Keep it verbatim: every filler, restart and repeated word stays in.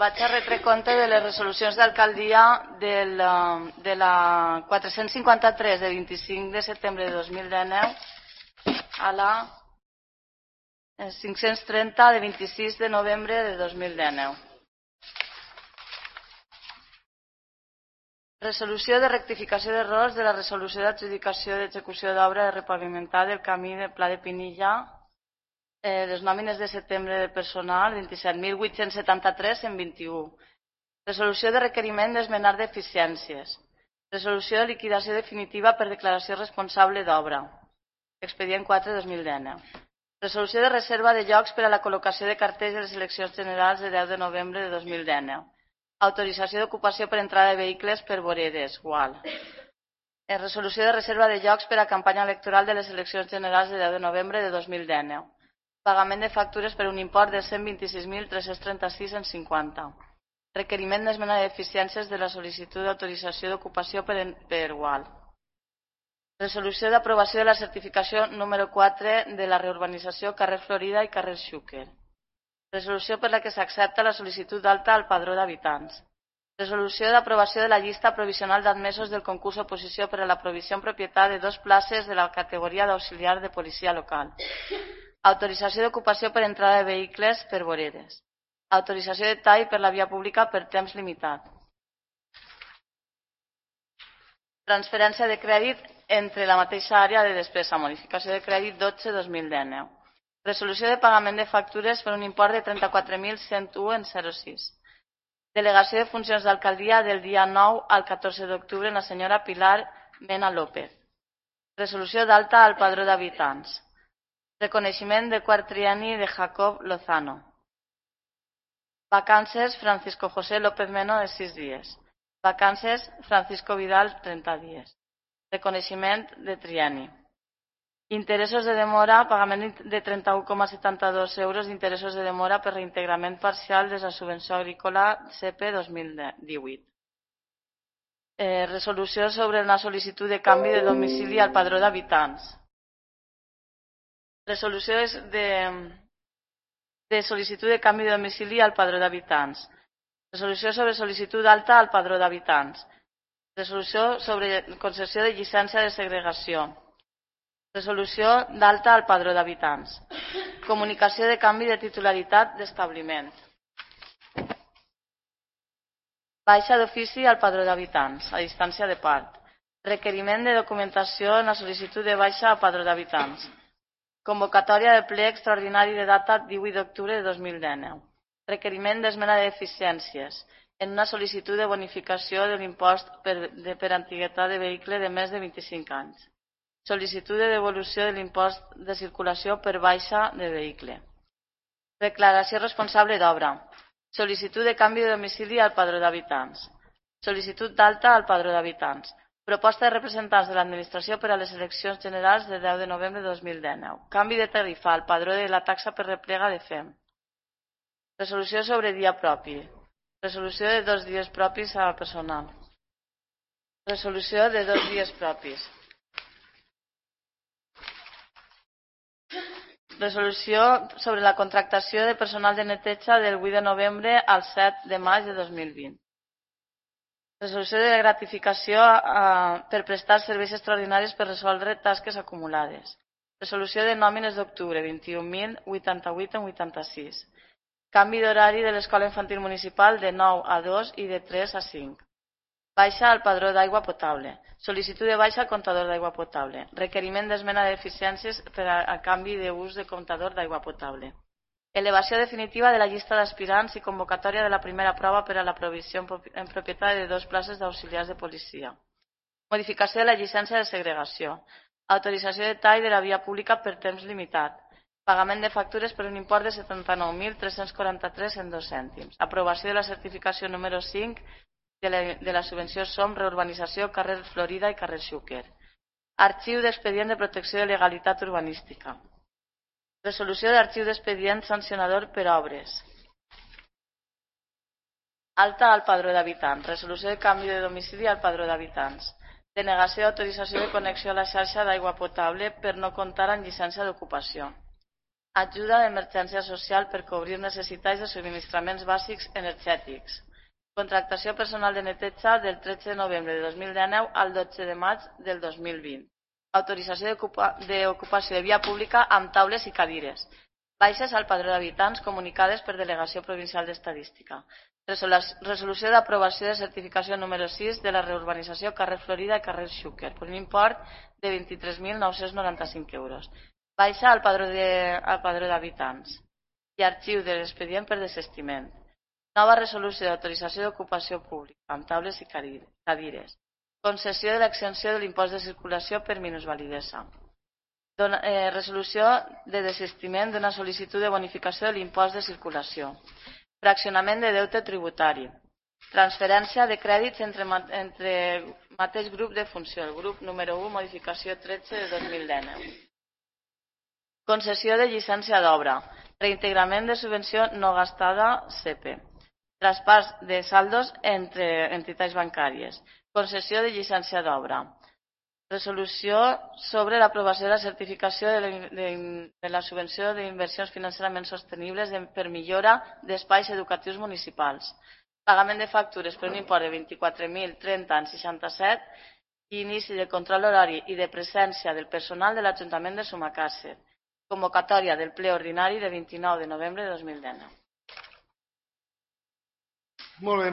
vaig a retre compte de les resolucions d'alcaldia de la quatre-cents cinquanta-tres de vint-i-cinc de setembre de dos mil dinou a la cinc-cents trenta de vint-i-sis de novembre de dos mil dinou. Resolució de rectificació d'errors de la resolució d'adjudicació d'execució d'obra de repavimentar del camí del Pla de Pinilla, eh, les nòmines de setembre de personal, vint-i-set mil vuit-cents setanta-tres en vint-i-u. Resolució de requeriment d'esmenar deficiències. Resolució de liquidació definitiva per declaració responsable d'obra. Expedient quatre dos mil dinou. Resolució de reserva de llocs per a la col·locació de cartells de les eleccions generals de deu de novembre de dos mil dinou. Autorització d'ocupació per entrada de vehicles per voreres, U A L. Resolució de reserva de llocs per a campanya electoral de les eleccions generals de deu de novembre de dos mil dinou. Pagament de factures per un import de cent vint-i-sis mil tres-cents trenta-sis coma cinquanta. Requeriment d'esmena de deficiències de la sol·licitud d'autorització d'ocupació per, per U A L. Resolució d'aprovació de la certificació número quatre de la reurbanització carrer Florida i carrer Xúquer. Resolució per la que s'accepta la sol·licitud d'alta al padró d'habitants. Resolució d'aprovació de la llista provisional d'admesos del concurs oposició per a la provisió en propietat de dos places de la categoria d'auxiliar de policia local. Autorització d'ocupació per entrada de vehicles per voreres. Autorització de tall per la via pública per temps limitat. Transferència de crèdit entre la mateixa àrea de despesa. Modificació de crèdit dotze dos mil dinou. Resolució de pagament de factures per un import de trenta-quatre mil cent u coma zero sis. Delegació de funcions d'alcaldia del dia nou al catorze d'octubre en la senyora Pilar Mena López. Resolució d'alta al padró d'habitants. Reconeixement de quart trienni de Jacob Lozano. Vacances Francisco José López Meno de sis dies. Vacances Francisco Vidal trenta dies. Reconeixement de trienni. Interessos de demora, pagament de trenta-u coma setanta-dos euros d'interessos de demora per reintegrament parcial de la subvenció agrícola C P dos mil divuit. Eh, resolució sobre una sol·licitud de canvi de domicili al padró d'habitants. Resolució de, de sol·licitud de canvi de domicili al padró d'habitants. Resolució sobre sol·licitud d'alta al padró d'habitants. Resolució sobre concessió de llicència de segregació. Resolució d'alta al padró d'habitants. Comunicació de canvi de titularitat d'establiment. Baixa d'ofici al padró d'habitants, a distància de part. Requeriment de documentació en la sol·licitud de baixa al padró d'habitants. Convocatòria de ple extraordinari de data divuit d'octubre de dos mil dinou. Requeriment d'esmena de deficiències en una sol·licitud de bonificació de l'impost per, de, per antiguitat de vehicle de més de vint-i-cinc anys. Sol·licitud de devolució de l'impost de circulació per baixa de vehicle. Declaració responsable d'obra. Sol·licitud de canvi de domicili al padró d'habitants. Sol·licitud d'alta al padró d'habitants. Proposta de representants de l'administració per a les eleccions generals de deu de novembre de dos mil dinou. Canvi de tarifa al padró de la taxa per replega de F E M. Resolució sobre dia propi. Resolució de dos dies propis al personal. Resolució de dos dies propis. Resolució sobre la contractació de personal de neteja del vuit de novembre al set de maig de dos mil vint. Resolució de gratificació eh, per prestar serveis extraordinaris per resoldre tasques acumulades. Resolució de nòmines d'octubre, vint-i-un mil vuitanta-vuit coma vuitanta-sis. Canvi d'horari de l'escola infantil municipal de nou a dos i de tres a cinc. Baixa al padró d'aigua potable. Sol·licitud de baixa al comptador d'aigua potable. Requeriment d'esmena de deficiències per a, a canvi d'ús de comptador d'aigua potable. Elevació definitiva de la llista d'aspirants i convocatòria de la primera prova per a la provisió en propietat de dos places d'auxiliars de policia. Modificació de la llicència de segregació. Autorització de tall de la via pública per temps limitat. Pagament de factures per un import de setanta-nou mil tres-cents quaranta-tres coma dos cèntims. Aprovació de la certificació número cinc de la, de la subvenció SOM reurbanització carrer Florida i carrer Xúquer. Arxiu d'expedient de protecció de legalitat urbanística. Resolució d'arxiu d'expedient sancionador per obres. Alta al padró d'habitants. Resolució de canvi de domicili al padró d'habitants. Denegació d'autorització de connexió a la xarxa d'aigua potable per no comptar amb llicència d'ocupació. ajuda d'emergència social per cobrir necessitats de subministraments bàsics energètics. Contractació personal de neteja del tretze de novembre de dos mil dinou al dotze de maig del dos mil vint. Autorització d'ocupació de via pública amb taules i cadires. Baixes al padró d'habitants comunicades per Delegació Provincial d'Estadística. Resolució d'aprovació de certificació número sis de la reurbanització carrer Florida i carrer Xúquer per un import de vint-i-tres mil nou-cents noranta-cinc euros. Baixa al padró d'habitants i arxiu de l'expedient per desestiment. Nova resolució d'autorització d'ocupació pública amb taules i cadires. Concessió de l'exempció de l'impost de circulació per minusvalidesa. Resolució de desistiment d'una sol·licitud de bonificació de l'impost de circulació. Fraccionament de deute tributari. Transferència de crèdits entre mateix grup de funció. El grup número u, modificació tretze de dos mil dinou. Concessió de llicència d'obra. Reintegrament de subvenció no gastada C E P. Traspàs de saldos entre entitats bancàries. Concessió de llicència d'obra. Resolució sobre l'aprovació de la certificació de la subvenció d'inversions financerament sostenibles per millora d'espais educatius municipals. Pagament de factures per un import de vint-i-quatre mil trenta coma seixanta-set i inici de control horari i de presència del personal de l'Ajuntament de Sumacàrcer. Convocatòria del ple ordinari de vint-i-nou de novembre de dos mil dinou. Molt bé.